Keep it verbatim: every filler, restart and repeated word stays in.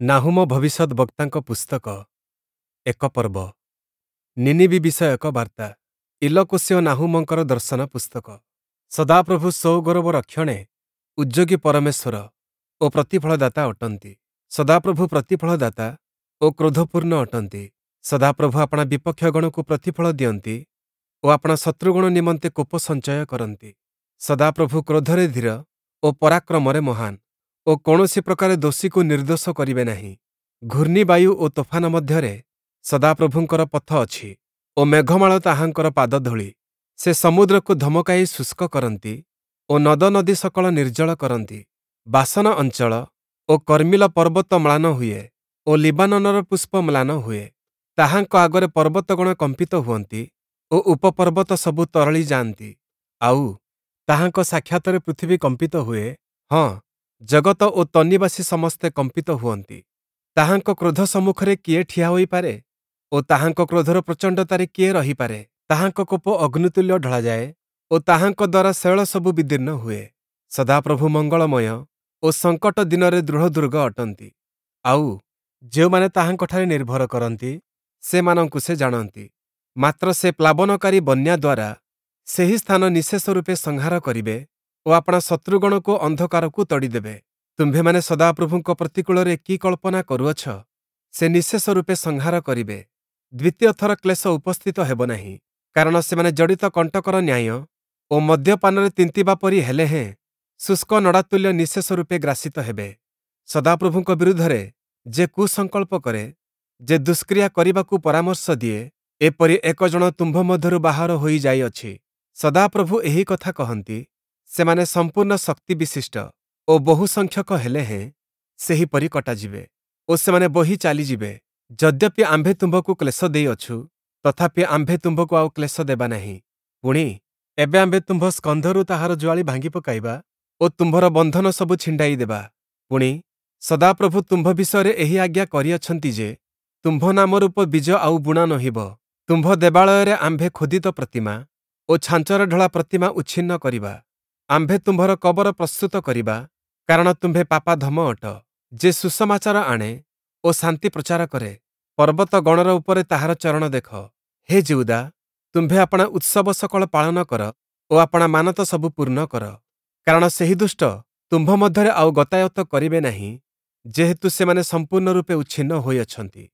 ନାହୂମ ଭବିଷ୍ୟଦ୍‌ବକ୍ତାଙ୍କ ପୁସ୍ତକ, ଏକ ପର୍ବ। ନୀନିବୀ ବିଷୟକ ବାର୍ତ୍ତା। ଇଲକୋଷୀୟ ନାହୂମଙ୍କର ଦର୍ଶନ ପୁସ୍ତକ। ସଦାପ୍ରଭୁ ସ୍ୱଗୌରବ ରକ୍ଷଣେ ଉଦ୍ଯୋଗୀ ପରମେଶ୍ୱର ଓ ପ୍ରତିଫଳଦାତା ଅଟନ୍ତି। ସଦାପ୍ରଭୁ ପ୍ରତିଫଳଦାତା ଓ କ୍ରୋଧପୂର୍ଣ୍ଣ ଅଟନ୍ତି। ସଦାପ୍ରଭୁ ଆପଣା ବିପକ୍ଷଗଣକୁ ପ୍ରତିଫଳ ଦିଅନ୍ତି ଓ ଆପଣା ଶତ୍ରୁଗଣ ନିମନ୍ତେ କୋପ ସଞ୍ଚୟ କରନ୍ତି। ସଦାପ୍ରଭୁ କ୍ରୋଧରେ ଧୀର ଓ ପରାକ୍ରମରେ ମହାନ ଓ କୌଣସି ପ୍ରକାରେ ଦୋଷୀକୁ ନିର୍ଦ୍ଦୋଷ କରିବେ ନାହିଁ। ଘୂର୍ଣ୍ଣିବାୟୁ ଓ ତୋଫାନ ମଧ୍ୟରେ ସଦାପ୍ରଭୁଙ୍କର ପଥ ଅଛି ଓ ମେଘମାଳ ତାହାଙ୍କର ପାଦଧୂଳି। ସେ ସମୁଦ୍ରକୁ ଧମକାଇ ଶୁଷ୍କ କରନ୍ତି ଓ ନଦନଦୀ ସକଳ ନିର୍ଜଳ କରନ୍ତି। ବାଶନ ଅଞ୍ଚଳ ଓ କର୍ମିଲ ପର୍ବତ ମ୍ଳାନ ହୁଏ ଓ ଲିବାନୋନର ପୁଷ୍ପ ମ୍ଳାନ ହୁଏ। ତାହାଙ୍କ ଆଗରେ ପର୍ବତଗଣ କମ୍ପିତ ହୁଅନ୍ତି ଓ ଉପପର୍ବତ ସବୁ ତରଳି ଯାଆନ୍ତି। ଆଉ ତାହାଙ୍କ ସାକ୍ଷାତରେ ପୃଥିବୀ କମ୍ପିତ ହୁଏ, ହଁ, ଜଗତ ଓ ତନ୍ନିବାସୀ ସମସ୍ତେ କମ୍ପିତ ହୁଅନ୍ତି। ତାହାଙ୍କ କ୍ରୋଧ ସମ୍ମୁଖରେ କିଏ ଠିଆ ହୋଇପାରେ? ଓ ତାହାଙ୍କ କ୍ରୋଧର ପ୍ରଚଣ୍ଡତାରେ କିଏ ରହିପାରେ? ତାହାଙ୍କ କୋପ ଅଗ୍ନିତୁଲ୍ୟ ଢଳାଯାଏ ଓ ତାହାଙ୍କ ଦ୍ୱାରା ଶୈଳ ସବୁ ବିଦୀର୍ଣ୍ଣ ହୁଏ। ସଦାପ୍ରଭୁ ମଙ୍ଗଳମୟ ଓ ସଙ୍କଟ ଦିନରେ ଦୃଢ଼ ଦୁର୍ଗ ଅଟନ୍ତି। ଆଉ ଯେଉଁମାନେ ତାହାଙ୍କଠାରେ ନିର୍ଭର କରନ୍ତି, ସେମାନଙ୍କୁ ସେ ଜାଣନ୍ତି। ମାତ୍ର ସେ ପ୍ଲାବନକାରୀ ବନ୍ୟା ଦ୍ୱାରା ସେହି ସ୍ଥାନ ନିଃଶେଷ ରୂପେ ସଂହାର କରିବେ ଓ ଆପଣା ଶତ୍ରୁଗଣକୁ ଅନ୍ଧକାରକୁ ତଡ଼ିଦେବେ। ତୁମ୍ଭେମାନେ ସଦାପ୍ରଭୁଙ୍କ ପ୍ରତିକୂଳରେ କି କଳ୍ପନା କରୁଅଛ? ସେ ନିଃଶେଷ ରୂପେ ସଂହାର କରିବେ। ଦ୍ୱିତୀୟ ଥର କ୍ଲେଶ ଉପସ୍ଥିତ ହେବ ନାହିଁ। କାରଣ ସେମାନେ ଜଡ଼ିତ କଣ୍ଟକର ନ୍ୟାୟ ଓ ମଦ୍ୟପାନରେ ତିନ୍ତିବା ପରି ହେଲେ ହେଁ ଶୁଷ୍କ ନଡ଼ାତୁଲ୍ୟ ନିଃଶେଷ ରୂପେ ଗ୍ରାସିତ ହେବେ। ସଦାପ୍ରଭୁଙ୍କ ବିରୁଦ୍ଧରେ ଯେ କୁସଂକଳ୍ପ କରେ, ଯେ ଦୁଷ୍କ୍ରିୟା କରିବାକୁ ପରାମର୍ଶ ଦିଏ, ଏପରି ଏକ ଜଣ ତୁମ୍ଭ ମଧ୍ୟରୁ ବାହାର ହୋଇ ଯାଇଅଛି। ସଦାପ୍ରଭୁ ଏହି କଥା କହନ୍ତି, ସେମାନେ ସମ୍ପୂର୍ଣ୍ଣ ଶକ୍ତି ବିଶିଷ୍ଟ ଓ ବହୁସଂଖ୍ୟକ ହେଲେ ହେଁ ସେହିପରି କଟାଯିବେ ଓ ସେମାନେ ବୋହି ଚାଲିଯିବେ। ଯଦ୍ୟପି ଆମ୍ଭେ ତୁମ୍ଭକୁ କ୍ଲେଶ ଦେଇଅଛୁ, ତଥାପି ଆମ୍ଭେ ତୁମ୍ଭକୁ ଆଉ କ୍ଲେଶ ଦେବା ନାହିଁ। ପୁଣି, ଏବେ ଆମ୍ଭେ ତୁମ୍ଭ ସ୍କନ୍ଧରୁ ତାହାର ଜୁଆଳି ଭାଙ୍ଗି ପକାଇବା ଓ ତୁମ୍ଭର ବନ୍ଧନ ସବୁ ଛିଣ୍ଡାଇ ଦେବା। ପୁଣି, ସଦାପ୍ରଭୁ ତୁମ୍ଭ ବିଷୟରେ ଏହି ଆଜ୍ଞା କରିଅଛନ୍ତି ଯେ, ତୁମ୍ଭ ନାମରୂପ ବୀଜ ଆଉ ବୁଣା ନୋହିବ। ତୁମ୍ଭ ଦେବାଳୟରେ ଆମ୍ଭେ ଖୋଦିତ ପ୍ରତିମା ଓ ଛାଞ୍ଚରେ ଢଳା ପ୍ରତିମା ଉଚ୍ଛିନ୍ନ କରିବା। ଆମ୍ଭେ ତୁମ୍ଭର କବର ପ୍ରସ୍ତୁତ କରିବା, କାରଣ ତୁମ୍ଭେ ପାପାଧମ ଅଟ। ଯେ ସୁସମାଚାର ଆଣେ ଓ ଶାନ୍ତି ପ୍ରଚାର କରେ, ପର୍ବତ ଗଣର ଉପରେ ତାହାର ଚରଣ ଦେଖ। ହେ ଯିହୁଦା, ତୁମ୍ଭେ ଆପଣା ଉତ୍ସବ ସକଳ ପାଳନ କର ଓ ଆପଣା ମାନତ ସବୁ ପୂର୍ଣ୍ଣ କର। କାରଣ ସେହି ଦୁଷ୍ଟ ତୁମ୍ଭ ମଧ୍ୟରେ ଆଉ ଗତାୟତ କରିବେ ନାହିଁ, ଯେହେତୁ ସେମାନେ ସମ୍ପୂର୍ଣ୍ଣ ରୂପେ ଉଚ୍ଛିନ୍ନ ହୋଇଅଛନ୍ତି।